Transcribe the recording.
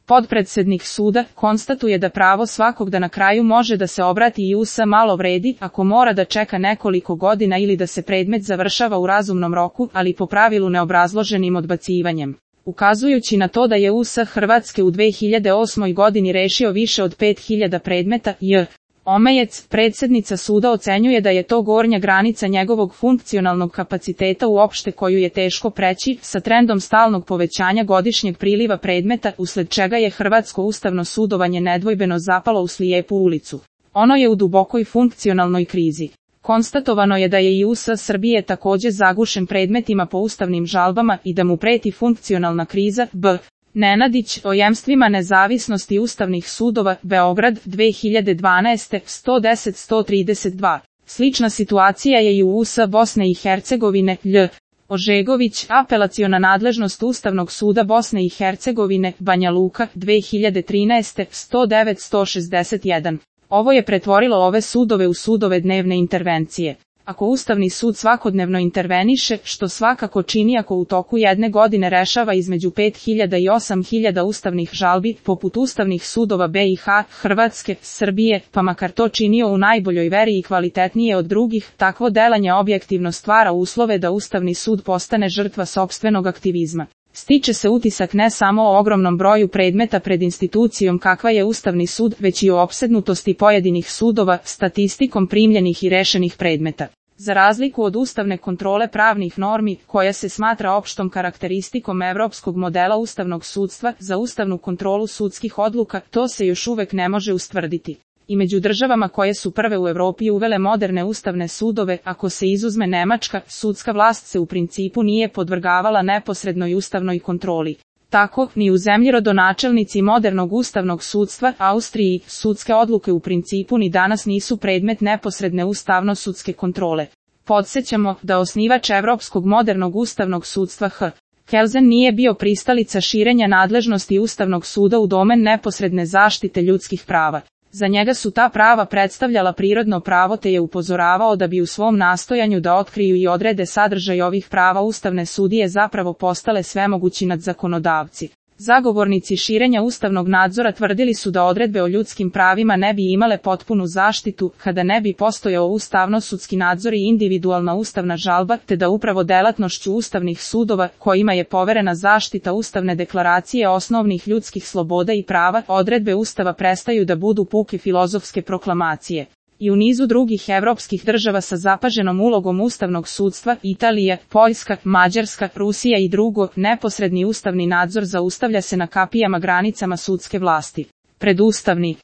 Podpredsednik suda konstatuje da pravo svakog da na kraju može da se obrati JUS malo vredi ako mora da čeka nekoliko godina ili da se predmet završava u razumnom roku, ali po pravilu neobrazloženim odbacivanjem. Ukazujući na to da je US Hrvatske u 2008. godini rešio više od 5000 predmeta, J. Omejec, predsjednica suda, ocenjuje da je to gornja granica njegovog funkcionalnog kapaciteta uopšte koju je teško preći, sa trendom stalnog povećanja godišnjeg priliva predmeta, usled čega je hrvatsko ustavno sudovanje nedvojbeno zapalo u slijepu ulicu. Ono je u dubokoj funkcionalnoj krizi. Konstatovano je da je i US Srbije također zagušen predmetima po ustavnim žalbama i da mu preti funkcionalna kriza. B. Nenadić, o jemstvima nezavisnosti ustavnih sudova, Beograd, 2012. 110-132. Slična situacija je i u US Bosne i Hercegovine. Lj. Ožegović, apelaciona nadležnost Ustavnog suda Bosne i Hercegovine, Banja Luka, 2013. 109-161. Ovo je pretvorilo ove sudove u sudove dnevne intervencije. Ako Ustavni sud svakodnevno interveniše, što svakako čini ako u toku jedne godine rešava između 5000 i 8000 ustavnih žalbi, poput ustavnih sudova BiH, Hrvatske, Srbije, pa makar to činio u najboljoj veri i kvalitetnije od drugih, takvo delanje objektivno stvara uslove da Ustavni sud postane žrtva sopstvenog aktivizma. Stiče se utisak ne samo o ogromnom broju predmeta pred institucijom kakva je Ustavni sud, već i o opsednutosti pojedinih sudova, statistikom primljenih i rešenih predmeta. Za razliku od ustavne kontrole pravnih normi, koja se smatra opštom karakteristikom evropskog modela ustavnog sudstva, za ustavnu kontrolu sudskih odluka, to se još uvek ne može ustvrditi. I među državama koje su prve u Evropi uvele moderne ustavne sudove, ako se izuzme Nemačka, sudska vlast se u principu nije podvrgavala neposrednoj ustavnoj kontroli. Tako, ni u zemlji rodonačelnici modernog ustavnog sudstva, Austriji, sudske odluke u principu ni danas nisu predmet neposredne ustavno-sudske kontrole. Podsećamo da osnivač Evropskog modernog ustavnog sudstva H. Kelsen nije bio pristalica širenja nadležnosti Ustavnog suda u domen neposredne zaštite ljudskih prava. Za njega su ta prava predstavljala prirodno pravo te je upozoravao da bi u svom nastojanju da otkriju i odrede sadržaj ovih prava ustavne sudije zapravo postale svemogući nadzakonodavci. Zagovornici širenja ustavnog nadzora tvrdili su da odredbe o ljudskim pravima ne bi imale potpunu zaštitu, kada ne bi postojao ustavno-sudski nadzor i individualna ustavna žalba, te da upravo delatnošću ustavnih sudova, kojima je poverena zaštita Ustavne deklaracije osnovnih ljudskih sloboda i prava, odredbe Ustava prestaju da budu puke filozofske proklamacije. I u nizu drugih evropskih država sa zapaženom ulogom ustavnog sudstva, Italija, Poljska, Mađarska, Rusija i drugo, neposredni ustavni nadzor zaustavlja se na kapijama granicama sudske vlasti. Predustavni